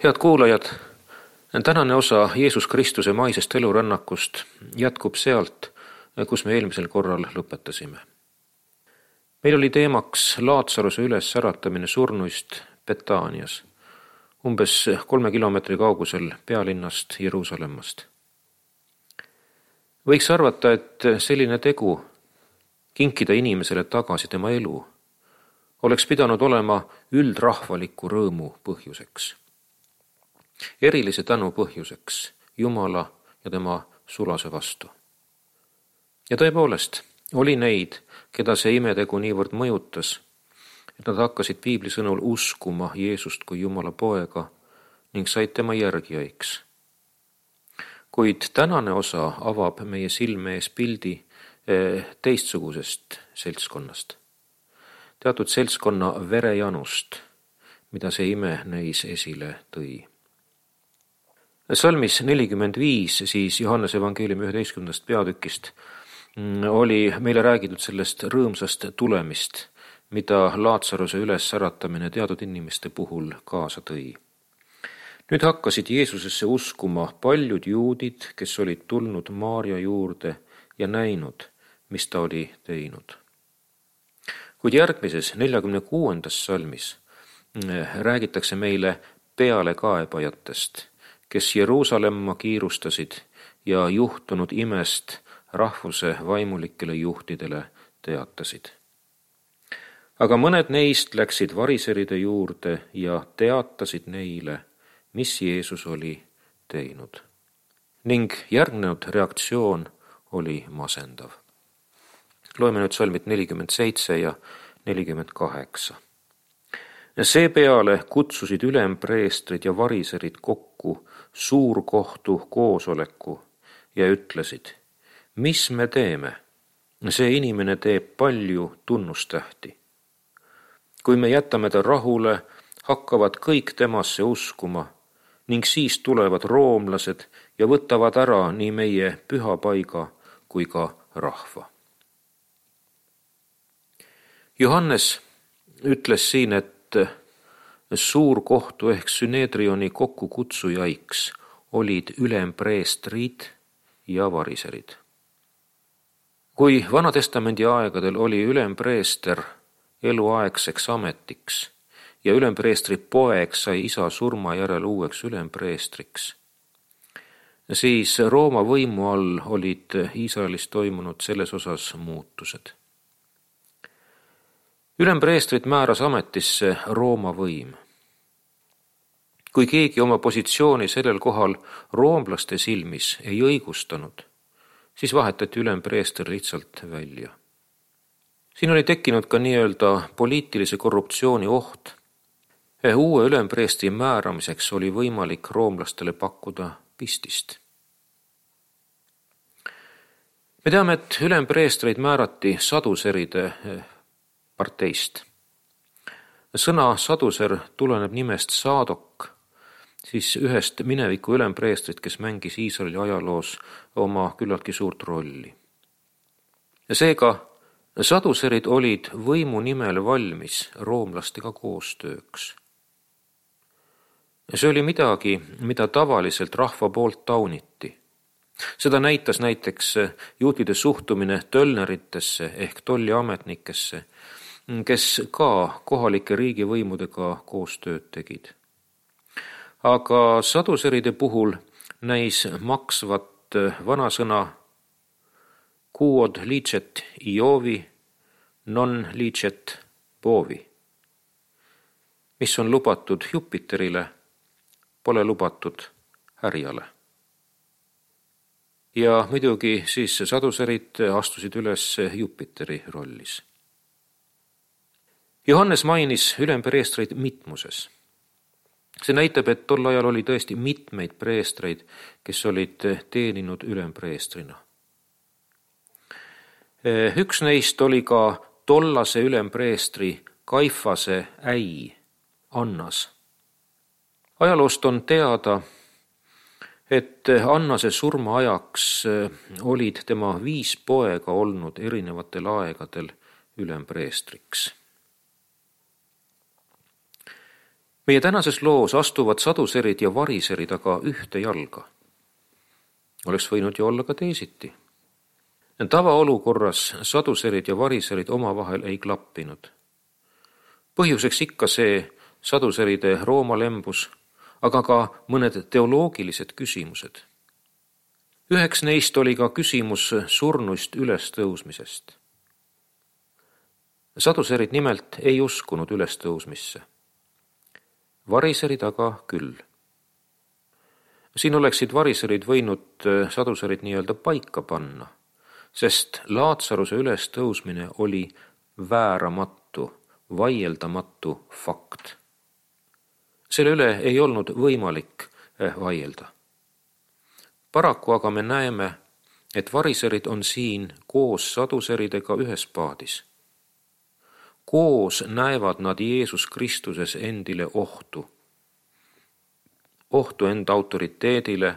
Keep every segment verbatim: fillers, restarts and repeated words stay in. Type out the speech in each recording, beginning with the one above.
Head kuulajad, tänane osa Jeesus Kristuse maisest elurännakust jätkub sealt, kus me eelmisel korral lõpetasime. Meil oli teemaks Laatsaruse üles äratamine surnuist Betaanias, umbes kolme kilomeetri kaugusel pealinnast Jeruusalemmast. Võiks arvata, et selline tegu, kinkida inimesele tagasi tema elu, oleks pidanud olema üldrahvaliku rõõmu põhjuseks. Erilise tänu põhjuseks Jumala ja tema sulase vastu. Ja tõepoolest oli neid, keda see imetegu niivõrd mõjutas, et nad hakkasid piibli sõnul uskuma Jeesust kui Jumala poega ning said tema järgijaiks. Kuid tänane osa avab meie silme ees pildi teistsugusest seltskonnast. Teatud seltskonna verejanust, mida see ime neis esile tõi. Salmis nelikümmend viis, siis Johannese evangeeliumi üheteistkümnendast peatükist, oli meile räägitud sellest rõõmsast tulemist, mida Laatsaruse üles äratamine teatud inimeste puhul kaasa tõi. Nüüd hakkasid Jeesusesse uskuma paljud juudid, kes olid tulnud Maarja juurde ja näinud, mis ta oli teinud. Kuid järgmises neljakümne kuuendas salmis räägitakse meile pealekaebajatest, kes Jeruusalemma kiirustasid ja juhtunud imest rahvuse vaimulikele juhtidele teatasid. Aga mõned neist läksid variseride juurde ja teatasid neile, mis Jeesus oli teinud. Ning järgnenud reaktsioon oli masendav. Loeme nüüd salmid nelikümmend seitse ja nelikümmend kaheksa. Seepeale kutsusid ülempreestrid ja variserid kokku suurkohtu koosoleku ja ütlesid, mis me teeme? See inimene teeb palju tunnustähti. Kui me jätame ta rahule, hakkavad kõik temasse uskuma ning siis tulevad roomlased ja võtavad ära nii meie pühapaiga kui ka rahva. Johannes ütles siin, et suurkohtu ehk Synedrioni kokkukutsujaiks olid ülempreestrid ja variserid. Kui Vanatestamendi aegadel oli ülempreester eluaegseks ametiks ja ülempreestri poeg sai isa surma järel uueks ülempreestriks, siis Rooma võimu all olid Iisraelis toimunud selles osas muutused. Ülempreestrit määras ametisse Rooma võim. Kui keegi oma positsiooni sellel kohal roomlaste silmis ei õigustanud, siis vahetati ülempreester lihtsalt välja. Siin oli tekkinud ka nii-öelda poliitilise korruptsiooni oht. Uue ülempreestri määramiseks oli võimalik roomlastele pakkuda pistist. Me teame, et ülempreestreid määrati saduseride parteist. Sõna saduser tuleneb nimest Saadok, siis ühest mineviku ülempreestrit, kes mängis Iisraeli ajaloos oma küllaltki suurt rolli. Seega saduserid olid võimu nimel valmis roomlastega koostööks. See oli midagi, mida tavaliselt rahva poolt tauniti. Seda näitas näiteks juutide suhtumine tölneritesse ehk tolliametnikesse, kes ka kohalike riigivõimudega koostööd tegid. Aga saduseride puhul näis maksvat vanasõna quod licet Iovi, non licet bovi, mis on lubatud Jupiterile, pole lubatud härjale. Ja muidugi siis saduserid astusid üles Jupiteri rollis. Johannes mainis ülempreestreid mitmuses. See näitab, et tol ajal oli tõesti mitmeid preestreid, kes olid teeninud ülempreestrina. Üks neist oli ka tollase ülempreestri Kaifase äi Annas. Ajaloost on teada, et Annase surma ajaks olid tema viis poega olnud erinevatel aegadel ülempreestriks. meie tänases loos astuvad saduserid ja variserid aga ühte jalga. Oleks võinud ju olla ka teisiti. Tavaolukorras saduserid ja variserid omavahel ei klappinud. Põhjuseks ikka see saduseride roomalembus, aga ka mõned teoloogilised küsimused. Üheks neist oli ka küsimus surnuist ülestõusmisest. Saduserid nimelt ei uskunud ülestõusmisse. Variserid aga küll. Siin oleksid variserid võinud saduserid nii-öelda paika panna, sest Laatsaruse ülestõusmine oli vääramatu, vaieldamatu fakt. Selle üle ei olnud võimalik vaielda. Paraku aga me näeme, et variserid on siin koos saduseridega ühes paadis. Koos näevad nad Jeesus Kristuses endile ohtu. Ohtu enda autoriteedile,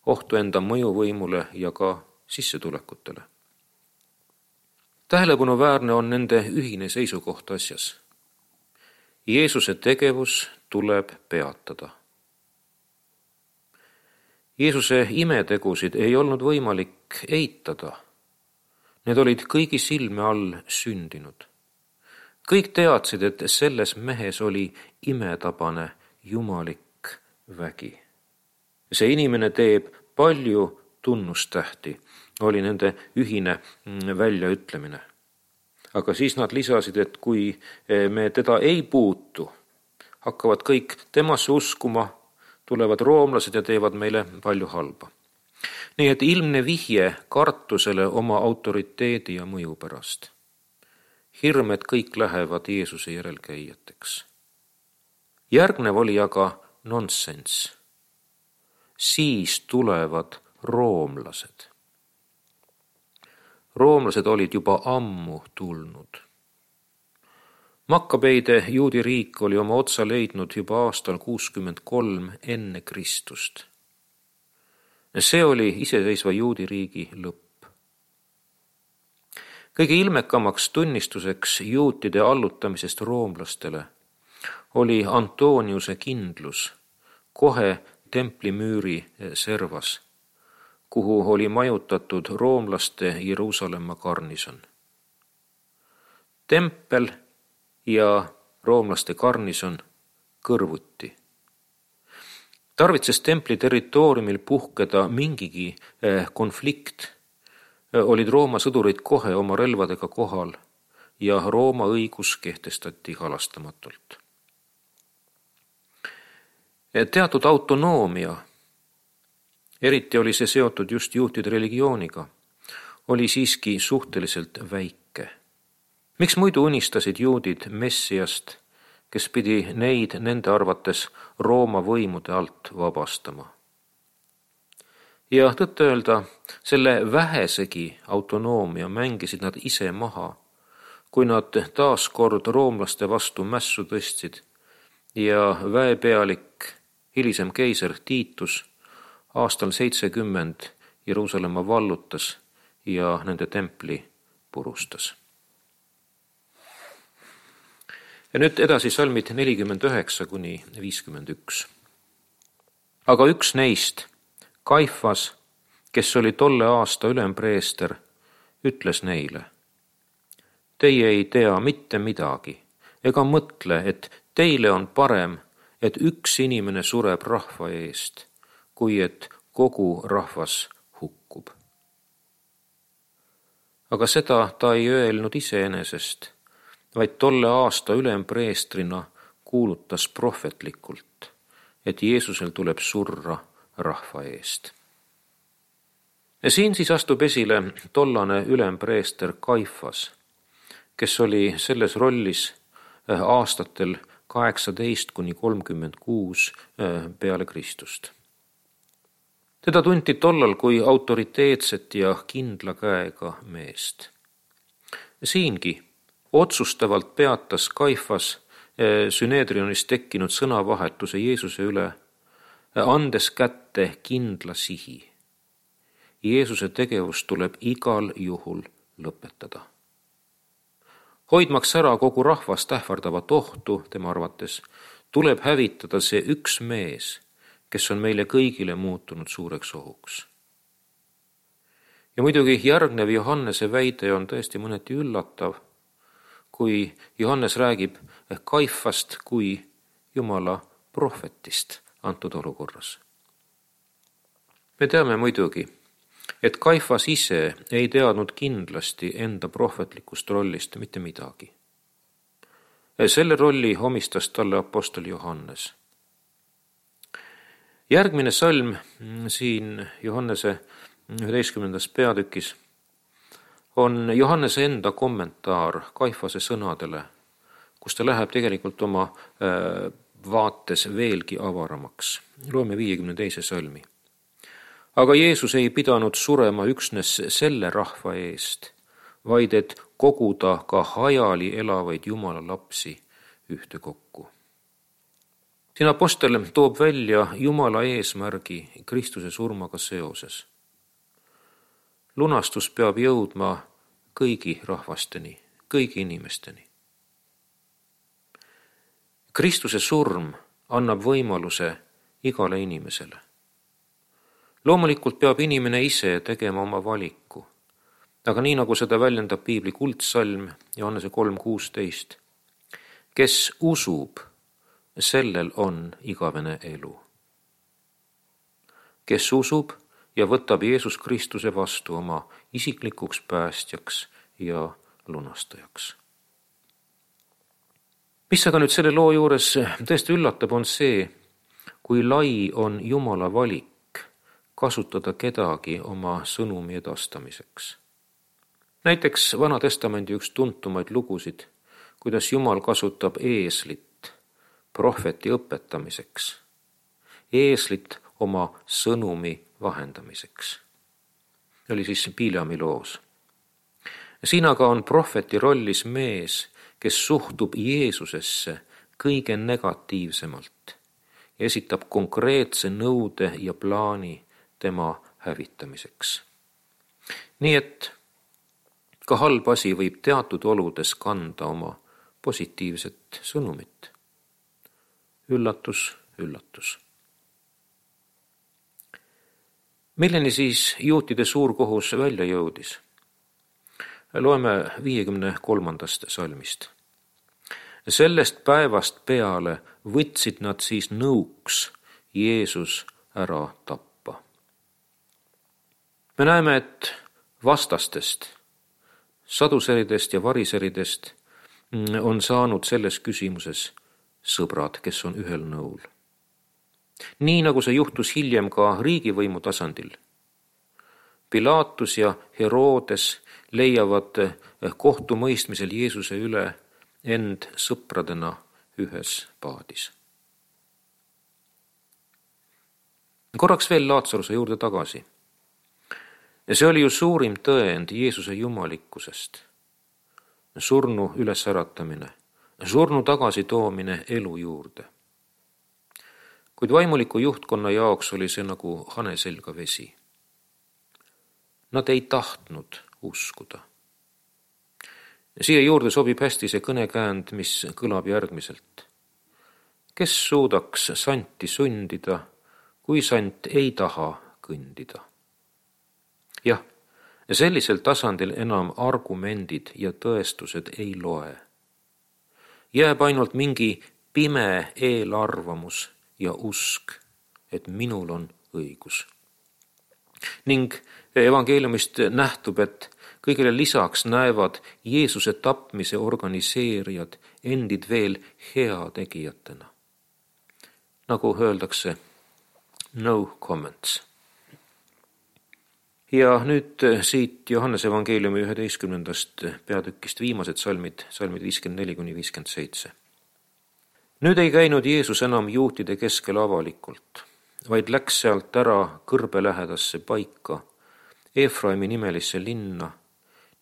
ohtu enda mõjuvõimule ja ka sissetulekutele. Tähelepanuväärne on nende ühine seisukoht asjas. Jeesuse tegevus tuleb peatada. Jeesuse imetegusid ei olnud võimalik eitada. Need olid kõigi silme all sündinud. Kõik teadsid, et selles mehes oli imetabane jumalik vägi. See inimene teeb palju tunnustähti, oli nende ühine väljaütlemine. Aga siis nad lisasid, et kui me teda ei puutu, hakkavad kõik temasse uskuma, tulevad roomlased ja teevad meile palju halba. Nii et ilmne vihje kartusele oma autoriteedi ja mõju pärast. Hirm, et kõik lähevad Jeesuse järelkäijateks. Järgnev oli aga nonsenss. Siis tulevad roomlased. Roomlased olid juba ammu tulnud. Makkabeide juudi riik oli oma otsa leidnud juba aastal kuuskümmend kolm enne Kristust. See oli iseseisva juudi riigi lõpp. Kõige ilmekamaks tunnistuseks juutide allutamisest roomlastele oli Antoniuse kindlus kohe templimüüri servas, kuhu oli majutatud roomlaste Jeruusalemma garnison. Tempel ja roomlaste garnison kõrvuti. Tarvitses templi territooriumil puhkeda mingigi konflikt, olid Rooma sõdurid kohe oma relvadega kohal ja Rooma õigus kehtestati halastamatult. Teatud autonoomia, eriti oli see seotud just juutide religiooniga, oli siiski suhteliselt väike. Miks muidu unistasid juudid Messiast, kes pidi neid nende arvates Rooma võimude alt vabastama? Ja tõtt öelda, selle vähesegi autonoomia mängisid nad ise maha, kui nad taas kord roomlaste vastu mässu tõstsid ja väepealik, hilisem keiser Tiitus aastal seitsekümmend Jeruusalemma vallutas ja nende templi purustas. Ja nüüd edasi salmid nelikümmend üheksa kuni viiskümmend üks. Aga üks neist, Kaifas, kes oli tolle aasta ülempreester, ütles neile: Teie ei tea mitte midagi, ega mõtle, et teile on parem, et üks inimene sureb rahva eest, kui et kogu rahvas hukkub. Aga seda ta ei öelnud iseenesest, vaid tolle aasta ülempreestrina kuulutas prohvetlikult, et Jeesusel tuleb surra rahva eest. Ja siin siis astub esile tollane ülempreester Kaifas, kes oli selles rollis aastatel kaheksateist kuni kolmkümmend kuus peale Kristust. Teda tunti tollal kui autoriteetset ja kindla käega meest. Siingi otsustavalt peatas Kaifas Süneedrionis tekkinud sõnavahetuse Jeesuse üle, andes kätte kindla sihi. Jeesuse tegevus tuleb igal juhul lõpetada. Hoidmaks ära kogu rahvast ähvardavat ohtu, tema arvates, tuleb hävitada see üks mees, kes on meile kõigile muutunud suureks ohuks. Ja muidugi järgnev Johannese väide on tõesti mõneti üllatav, kui Johannes räägib Kaifast kui Jumala prohvetist antud olukorras. Me teame muidugi, et Kaifas ise ei teadnud kindlasti enda prohvetlikust rollist mitte midagi. Selle rolli omistas talle apostel Johannes. Järgmine salm siin Johannese üheteistkümnendas peatükis on Johannese enda kommentaar Kaifase sõnadele, kus ta läheb tegelikult oma vaates veelgi avaramaks. Loeme viiekümne teise salmi. Aga Jeesus ei pidanud surema üksnes selle rahva eest, vaid et koguda ka hajali elavaid Jumala lapsi ühte kokku. Siin apostel toob välja Jumala eesmärgi Kristuse surmaga seoses. Lunastus peab jõudma kõigi rahvasteni, kõigi inimesteni. Kristuse surm annab võimaluse igale inimesele. Loomulikult peab inimene ise tegema oma valiku, aga nii nagu seda väljendab piibli kuldsalm Johannese kolm kuusteist, kes usub, sellel on igavene elu. Kes usub ja võtab Jeesus Kristuse vastu oma isiklikuks päästjaks ja lunastajaks. Mis aga nüüd selle loo juures tõesti üllatab, on see, kui lai on Jumala valik kasutada kedagi oma sõnumi edastamiseks. Näiteks Vana Testamendi üks tuntumaid lugusid, kuidas Jumal kasutab eeslit prohveti õpetamiseks, eeslit oma sõnumi vahendamiseks. Oli siis Bileami loos. Siin aga on prohveti rollis mees, kes suhtub Jeesusesse kõige negatiivsemalt ja esitab konkreetse nõude ja plaani tema hävitamiseks. Nii et ka halb asi võib teatud oludes kanda oma positiivset sõnumit. Üllatus, üllatus. Milleni siis juutide suurkohus välja jõudis? Loeme viiekümne kolmandast salmist. Sellest päevast peale võtsid nad siis nõuks Jeesus ära tappa. Me näeme, et vastastest, saduseridest ja variseridest on saanud selles küsimuses sõbrad, kes on ühel nõul. Nii nagu see juhtus hiljem ka riigivõimu tasandil. Pilatus ja Herodes leiavad kohtumõistmisel Jeesuse üle end sõpradena ühes paadis. Korraks veel Laatsaruse juurde tagasi. Ja see oli ju suurim tõend Jeesuse jumalikkusest. Surnu ülesäratamine, surnu tagasitoomine elu juurde. Kuid vaimuliku juhtkonna jaoks oli see nagu hane selga vesi. Nad ei tahtnud uskuda. Ja siia juurde sobib hästi see kõnekäänd, mis kõlab järgmiselt. Kes suudaks santi sundida, kui sant ei taha kõndida? Jah, sellisel tasandil enam argumendid ja tõestused ei loe. Jääb ainult mingi pime eelarvamus ja usk, et minul on õigus. Ning evangeeliumist nähtub, et kõigile lisaks näevad Jeesuse tapmise organiseerijad endid veel heategijatena. Nagu öeldakse, no comments. Ja nüüd siit Johannese evangeeliumi üheteistkümnendast peatükist viimased salmid, salmid viiskümmend neli kuni viiskümmend seitse. Nüüd ei käinud Jeesus enam juutide keskel avalikult, vaid läks sealt ära kõrbe lähedasse paika, Efraimi nimelisse linna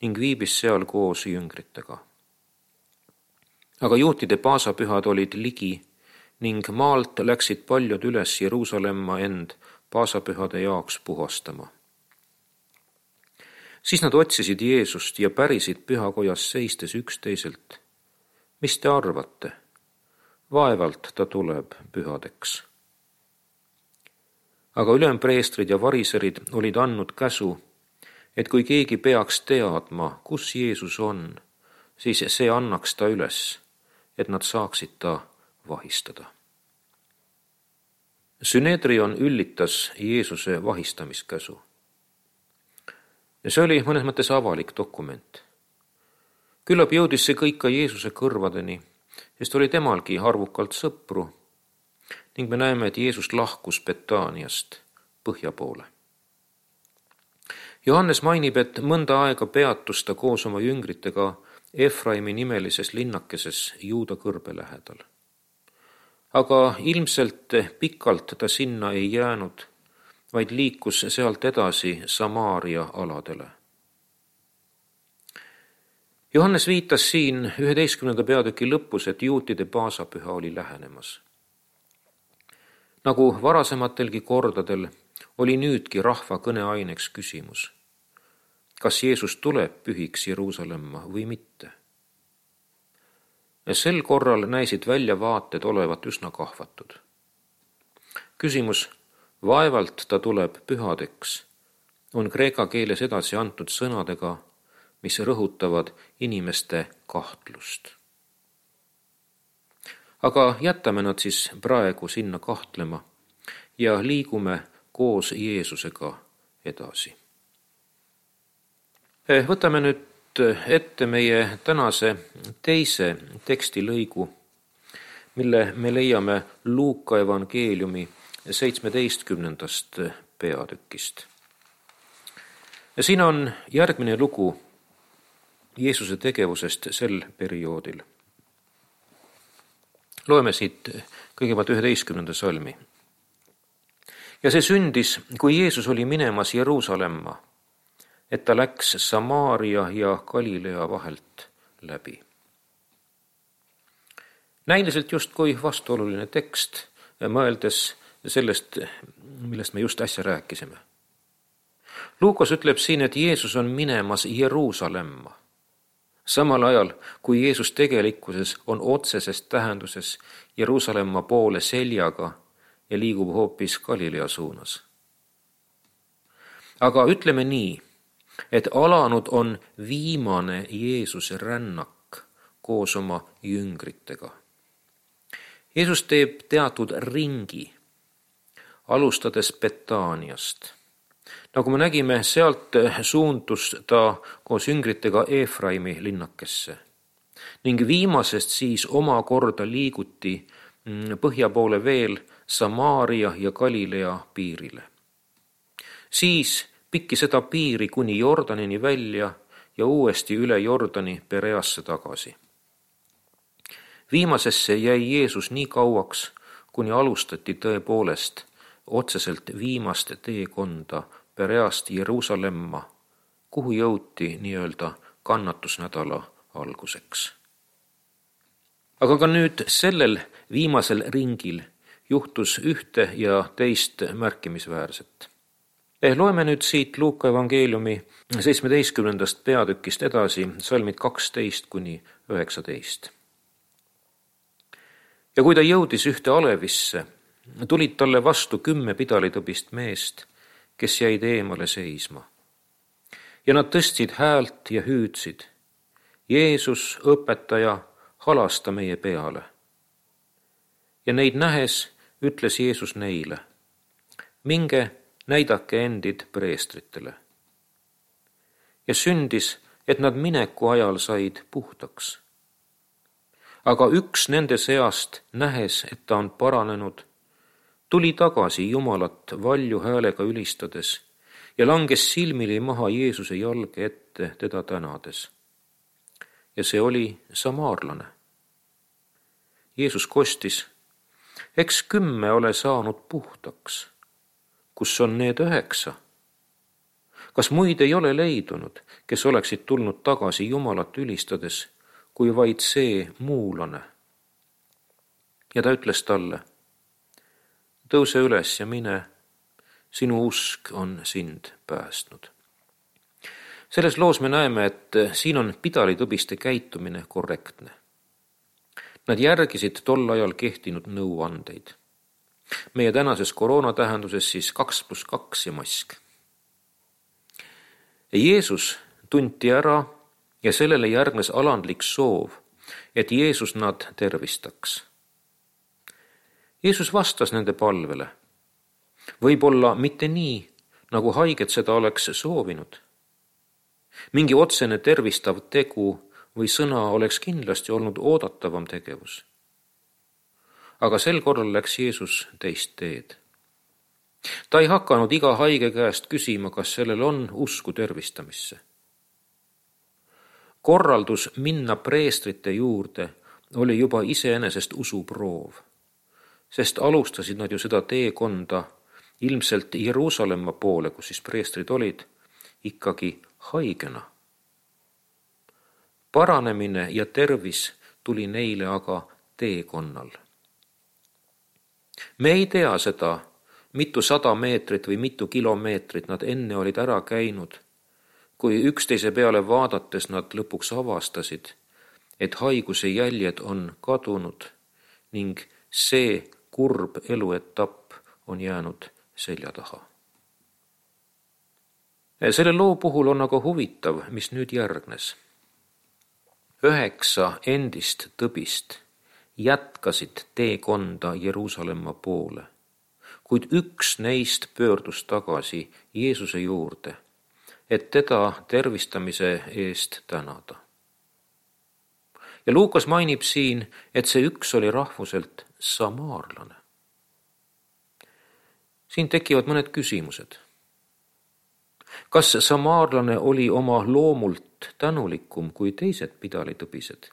ning viibis seal koos jüngritega. Aga juutide paasapühad olid ligi ning maalt läksid paljud üles Jeruusalemma end paasapühade jaoks puhastama. Siis nad otsisid Jeesust ja pärisid pühakojas seistes üksteiselt. Mis te arvate? vaevalt ta tuleb pühadeks. Aga ülempreestrid ja variserid olid andnud käsu, et kui keegi peaks teadma, kus Jeesus on, siis see annaks ta üles, et nad saaksid ta vahistada. Synedrion üllitas Jeesuse vahistamiskäsu. Ja see oli mõnes mõttes avalik dokument. Küllap jõudis see kõik ka Jeesuse kõrvadeni, sest oli temalgi arvukalt sõpru ning me näeme, et Jeesus lahkus Betaaniast põhja poole. Johannes mainib, et mõnda aega peatus ta koos oma jüngritega Efraimi nimelises linnakeses Juuda kõrbe lähedal. Aga ilmselt pikalt ta sinna ei jäänud, vaid liikus sealt edasi Samaaria aladele. Johannes viitas siin üheteistkümnenda peatüki lõpus, et juutide paasapüha oli lähenemas. Nagu varasematelgi kordadel oli nüüdki rahva kõneaineks küsimus, kas Jeesus tuleb pühiks Jeruusalemma või mitte. Sel korral näisid väljavaated olevat üsna kahvatud. Küsimus, vaevalt ta tuleb pühadeks, on kreeka keeles edasi antud sõnadega, mis rõhutavad inimeste kahtlust. Aga jätame nad siis praegu sinna kahtlema ja liigume koos Jeesusega edasi. Võtame nüüd ette meie tänase teise tekstilõigu, mille me leiame Luuka evangeeliumi seitsmeteistkümnendast peatükist. Ja siin on järgmine lugu Jeesuse tegevusest sel perioodil. Loeme siit kõigepealt üheteistkümnenda salmi. Ja see sündis, kui Jeesus oli minemas Jeruusalemma, et ta läks Samaaria ja Galilea vahelt läbi. Näiliselt justkui vastuoluline tekst, mõeldes sellest, millest me just äsja rääkisime. Luukas ütleb siin, et Jeesus on minemas Jeruusalemma. Samal ajal, kui Jeesus tegelikkuses on otseses tähenduses Jeruusalemma poole seljaga ja liigub hoopis Galilea suunas. Aga ütleme nii, et alanud on viimane Jeesuse rännak koos oma jüngritega. Jeesus teeb teatud ringi, alustades Betaaniast. Nagu me nägime, sealt suundus ta koos jüngritega Efraimi linnakesse ning viimasest siis omakorda liiguti põhja poole veel Samaaria ja Galilea piirile. Siis pikki seda piiri kuni Jordanini välja ja uuesti üle Jordani Pereasse tagasi. Viimasesse jäi Jeesus nii kauaks, kuni alustati tõepoolest otseselt viimast teekonda Pereast Jeruusalemma, kuhu jõuti nii-öelda kannatusnädala alguseks. Aga ka nüüd sellel viimasel ringil juhtus ühte ja teist märkimisväärset. Loeme nüüd siit Luuka evangeeliumi seitsmeteistkümnendast peatükist edasi, salmid kaksteist kuni üheksateist. Ja kui ta jõudis ühte alevisse, tulid talle vastu kümme pidalitõbist meest, kes jäid eemale seisma. Ja nad tõstsid häält ja hüüdsid, Jeesus, õpetaja, halasta meie peale. Ja neid nähes ütles Jeesus neile, minge, näidake endid preestritele. Ja sündis, et nad mineku ajal said puhtaks. Aga üks nende seast, nähes, et ta on paranenud, tuli tagasi Jumalat valju häälega ülistades ja langes silmili maha Jeesuse jalge ette teda tänades. Ja see oli samaarlane. Jeesus kostis, eks kümme ole saanud puhtaks. Kus on need üheksa? Kas muid ei ole leidunud, kes oleksid tulnud tagasi Jumalat ülistades, kui vaid see muulane? Ja ta ütles talle, tõuse üles ja mine, sinu usk on sind päästnud. Selles loos me näeme, et siin on pidalitõbiste käitumine korrektne. Nad järgisid tol ajal kehtinud nõuandeid. Meie tänases koroona tähenduses siis kaks pluss kaks ja mask. Jeesus tunti ära ja sellele järgnes alandlik soov, et Jeesus nad tervistaks. Jeesus vastas nende palvele. Võib-olla mitte nii, nagu haiged seda oleks soovinud. Mingi otsene tervistav tegu või sõna oleks kindlasti olnud oodatavam tegevus. Aga sel korral läks Jeesus teist teed. Ta ei hakanud iga haige käest küsima, kas sellel on usku tervistamisse. Korraldus minna preestrite juurde oli juba iseenesest usuproov, sest alustasid nad ju seda teekonda ilmselt Jeruusalemma poole, kus siis preestrid olid, ikkagi haigena. Paranemine ja tervis tuli neile aga teekonnal. Me ei tea seda, mitu sada meetrit või mitu kilomeetrit nad enne olid ära käinud, kui üksteise peale vaadates nad lõpuks avastasid, et haiguse jäljed on kadunud ning see kurb eluetapp on jäänud selja taha. Selle loo puhul on aga huvitav, mis nüüd järgnes. Üheksa endist tõbist jätkasid teekonda Jeruusalemma poole, kuid üks neist pöördus tagasi Jeesuse juurde, et teda tervistamise eest tänada. Ja Luukas mainib siin, et see üks oli rahvuselt samaarlane. Siin tekivad mõned küsimused. Kas samaarlane oli oma loomult tänulikum kui teised pidalitõbised?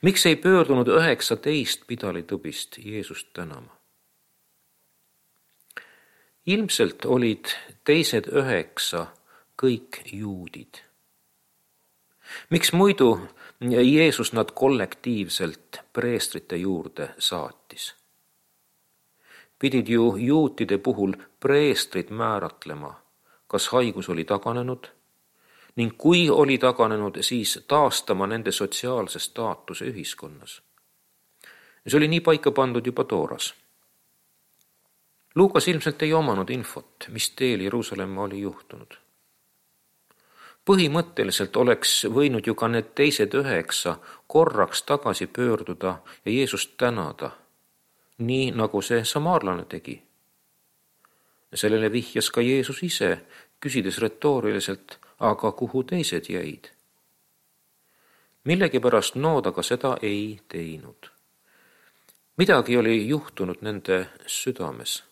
Miks ei pöördunud üheksateist pidalitõbist Jeesust tänama? Ilmselt olid teised üheksa kõik juudid. Miks muidu Jeesus nad kollektiivselt preestrite juurde saatis? Pidid ju juutide puhul preestrid määratlema, kas haigus oli taganenud, ning kui oli taganenud, siis taastama nende sotsiaalse staatuse ühiskonnas. See oli nii paika pandud juba Tooras. Luukas ilmselt ei omanud infot, mis teel Jeruusalemma oli juhtunud. Põhimõtteliselt oleks võinud ju ka need teised üheksa korraks tagasi pöörduda ja Jeesust tänada, nii nagu see samaarlane tegi. Sellele vihjas ka Jeesus ise, küsides retooriliselt, aga kuhu teised jäid? Millegipärast nood aga seda ei teinud. Midagi oli juhtunud nende südames.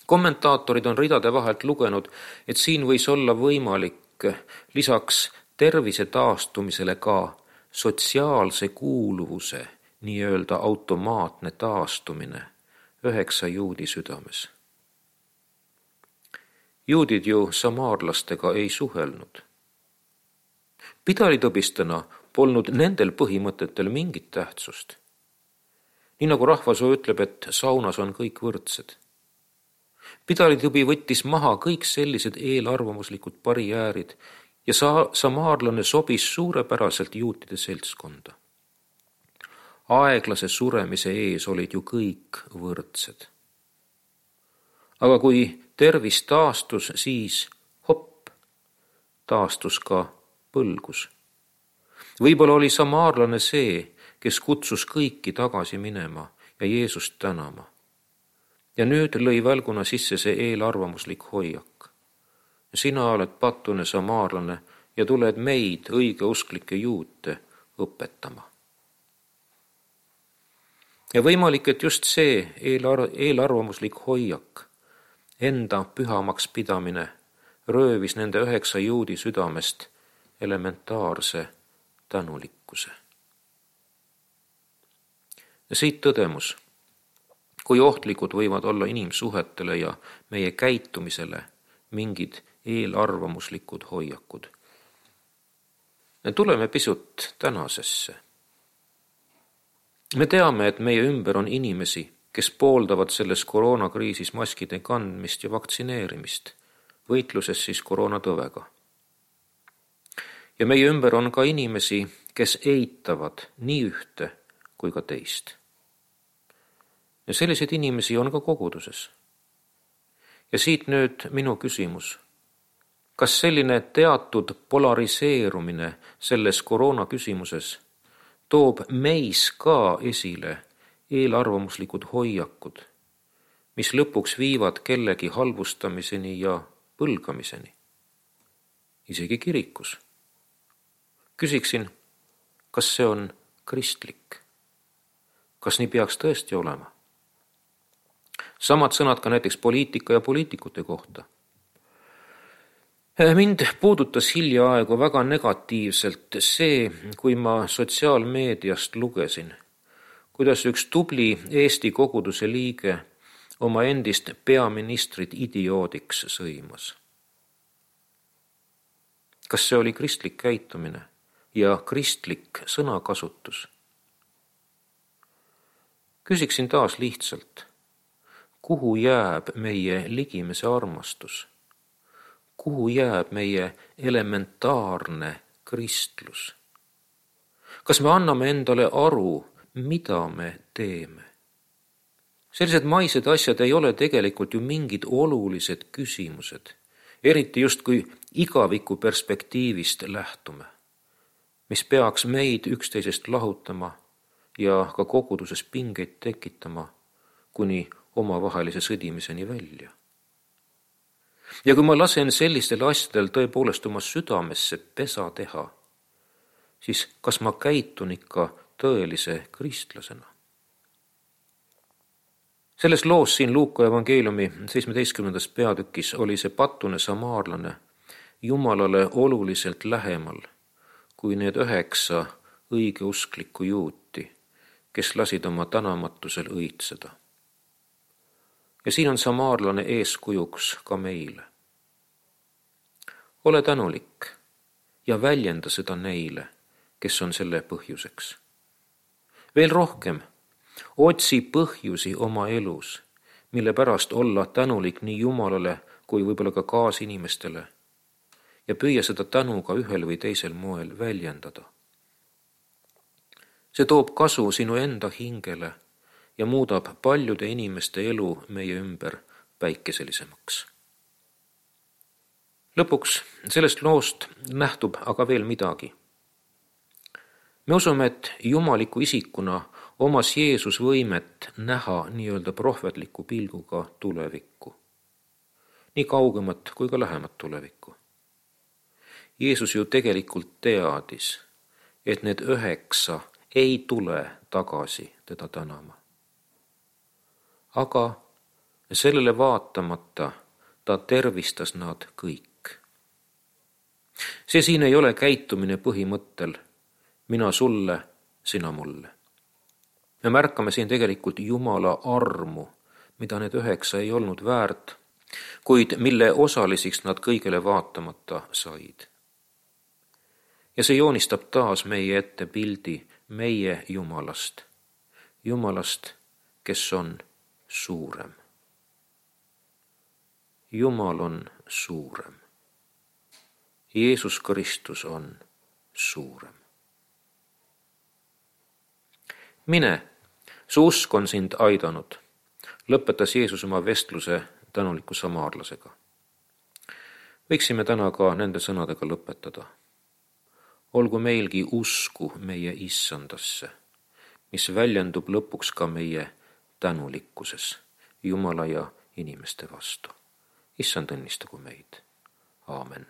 Kommentaatorid on ridade vahelt lugenud, et siin võis olla võimalik lisaks tervise taastumisele ka sotsiaalse kuuluvuse, nii-öelda automaatne taastumine üheksa juudi südames. Juudid ju samaarlastega ei suhelnud. Pidalitõbistena polnud nendel põhimõtetel mingit tähtsust. Nii nagu rahvasuu ütleb, et saunas on kõik võrdsed. Pidalitõbi võttis maha kõik sellised eelarvamuslikud barjäärid ja sa- samaarlane sobis suurepäraselt juutide seltskonda. Aeglase suremise ees olid ju kõik võrdsed. Aga kui tervis taastus, siis hopp, taastus ka põlgus. Võib-olla oli samaarlane see, kes kutsus kõiki tagasi minema ja Jeesust tänama. Ja nüüd lõi välguna sisse see eelarvamuslik hoiak. Sina oled patune samaarlane ja tuled meid, õigeusklikke juute, õpetama. Ja võimalik, et just see eelar- eelarvamuslik hoiak, enda pühamaks pidamine, röövis nende üheksa juudi südamest elementaarse tänulikkuse. Ja siit tõdemus, kui ohtlikud võivad olla inimsuhetele ja meie käitumisele mingid eelarvamuslikud hoiakud. Tuleme pisut tänasesse. Me teame, et meie ümber on inimesi, kes pooldavad selles koroonakriisis maskide kandmist ja vaktsineerimist, võitluses siis koroonatõvega. Ja meie ümber on ka inimesi, kes eitavad nii ühte kui ka teist. Ja selliseid inimesi on ka koguduses. Ja siit nüüd minu küsimus. Kas selline teatud polariseerumine selles koroona küsimuses toob meis ka esile eelarvamuslikud hoiakud, mis lõpuks viivad kellegi halvustamiseni ja põlgamiseni? Isegi kirikus. Küsiksin, kas see on kristlik? Kas nii peaks tõesti olema? Samad sõnad ka näiteks poliitika ja poliitikute kohta. Mind puudutas hiljaaegu väga negatiivselt see, kui ma sotsiaalmeediast lugesin, kuidas üks tubli Eesti koguduse liige oma endist peaministrit idioodiks sõimas. Kas see oli kristlik käitumine ja kristlik sõnakasutus? Küsiksin taas lihtsalt, kuhu jääb meie ligimese armastus? Kuhu jääb meie elementaarne kristlus? Kas me anname endale aru, mida me teeme? Sellised maised asjad ei ole tegelikult ju mingid olulised küsimused, eriti just kui igaviku perspektiivist lähtume, mis peaks meid üksteisest lahutama ja ka koguduses pingeid tekitama kuni omavahelise sõdimiseni välja. Ja kui ma lasen sellistel asjadel tõepoolest oma südamesse pesa teha, siis kas ma käitun ikka tõelise kristlasena? Selles loos siin Luuka evangeeliumi seitsmeteistkümnendas peatükis oli see patune samaarlane Jumalale oluliselt lähemal kui need üheksa õigeusklikku juuti, kes lasid oma tänamatusel õitseda. Ja siin on samaarlane eeskujuks ka meile. Ole tänulik ja väljenda seda neile, kes on selle põhjuseks. Veel rohkem, otsi põhjusi oma elus, mille pärast olla tänulik nii Jumalale kui võib-olla ka kaasinimestele ja püüa seda tänu ka ühel või teisel moel väljendada. See toob kasu sinu enda hingele ja muudab paljude inimeste elu meie ümber päikeselisemaks. Lõpuks sellest loost nähtub aga veel midagi. Me usume, et jumaliku isikuna omas Jeesus võimet näha nii-öelda prohvetliku pilguga tulevikku. Nii kaugemat kui ka lähemat tulevikku. Jeesus ju tegelikult teadis, et need üheksa ei tule tagasi teda tänama. Aga sellele vaatamata ta tervistas nad kõik. See siin ei ole käitumine põhimõttel mina sulle, sina mulle. Me märkame siin tegelikult Jumala armu, mida need üheksa ei olnud väärt, kuid mille osalisiks nad kõigele vaatamata said. Ja see joonistab taas meie ette pildi meie Jumalast. Jumalast, kes on suurem. Jumal on suurem. Jeesus Kristus on suurem. Mine, su usk on sind aidanud, lõpetas Jeesus oma vestluse tänuliku samaarlasega. Võiksime täna ka nende sõnadega lõpetada. Olgu meilgi usku meie issandasse, mis väljendub lõpuks ka meie tänulikkuses Jumala ja inimeste vastu. Issand õnnistagu meid. Aamen.